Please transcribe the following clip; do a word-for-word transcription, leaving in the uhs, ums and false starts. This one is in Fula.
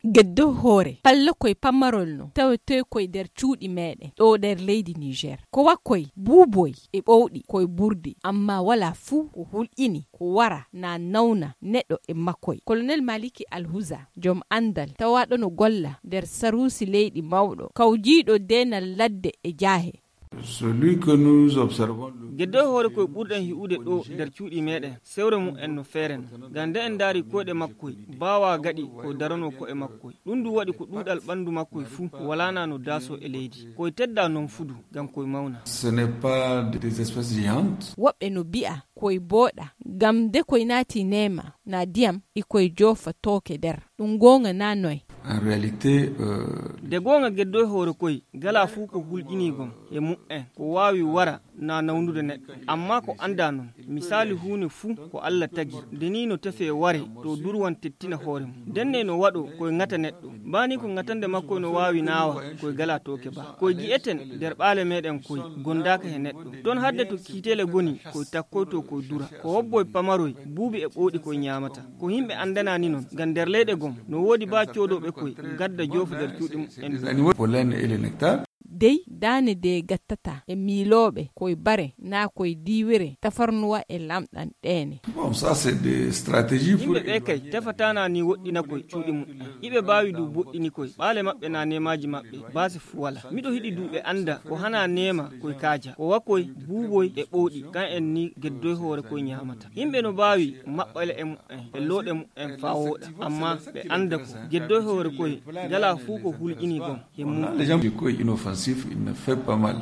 Geddo hoore palla koy pammarol no tawetee koy nder cuuɗi meeɗen ɗo nder leydi Niger. Ko wa koy buuboy e ɓowɗi koy burdi, amma wala fuu ko hulƴini ko wara na nawna neɗɗo e makkoy. Colonel Maliki Alhuza, joom anndal tawaaɗo no golla nder saruusi leydi mawɗo, kawjiiɗo deenal ladde e jaahe. Celui que nous observons le Geddo hoore koy ɓurɗen hi'ude ɗo nder cuuɗi meeɗen, sewre mum en no feere no. Ngam nde en ndaari koyɗe makkoy, baawa gaɗi ko daranoo ko'e makkoy. Ɗum du waɗi ko ɗuuɗal ɓanndu makkoy fuu, walaa na no daasoo e leydi. Koy tedda non fudu, ngam koy mawna. Ce n'est pas des espèces géantes. Woɓɓe no bi'a koy booɗa, ngam nde koy naati neema, na diyam, e koy joofa tooke nder. Ɗum goonga na noy? En réalité, euh, nde goonga geddo hoore koy, gala fuu ko hulƴinii gom e mu'en, ko waawi wara na nawnude neɗɗo. Amma ko annda non, misaali huunde fuu ko Alla tagi, nde nii no tefee ware to durwan tettina hoore mum. Ndenne no waɗo koy ŋata neɗɗo. Baa nii ko ŋatande makko no waawi naawa koy gala tooke ba. Koy gi'eten nder ɓaale meeɗen koy gondaaka he neɗɗo. Ton hadde to kiiteele goni koy takkoyto koy dura. Ko hobboy pamaroy, buubi e ɓowɗi koy ñaamata. Ko yimɓe anndanaani non, ngam nder leyɗe gom no woodi baa coodooɓe koy gadda joofa nder cuuɗi mum en. Des animaux, pollen et le nectar. Dey daane de gattata e miilooɓe koy bare naa koy diiwere tafarnuwa e lamɗam ɗeene. Bon, ça, c'est des stratégies pour yimɓe ɓe kay tefataana ni woɗɗina koy cuuɗi mum. Iɓe mbaawi du boɗɗini koy ɓaale maɓɓe naa neemaaji maɓɓe baasi fu wala. Miɗo hiɗi du ɓe annda ko hana neema koy kaaja ko wa koy buuboy e ɓowɗi kan en ni geddoy hoore koy ñaamata. Yimɓe no mbaawi maɓɓale e mu'en e looɗe mu'en faa wooɗa, amma ɓe annda ko geddoy hoore koy gala fuu ko hulƴini gom. He mum. Les gens, le koy inoffensif, il ne fait pas mal.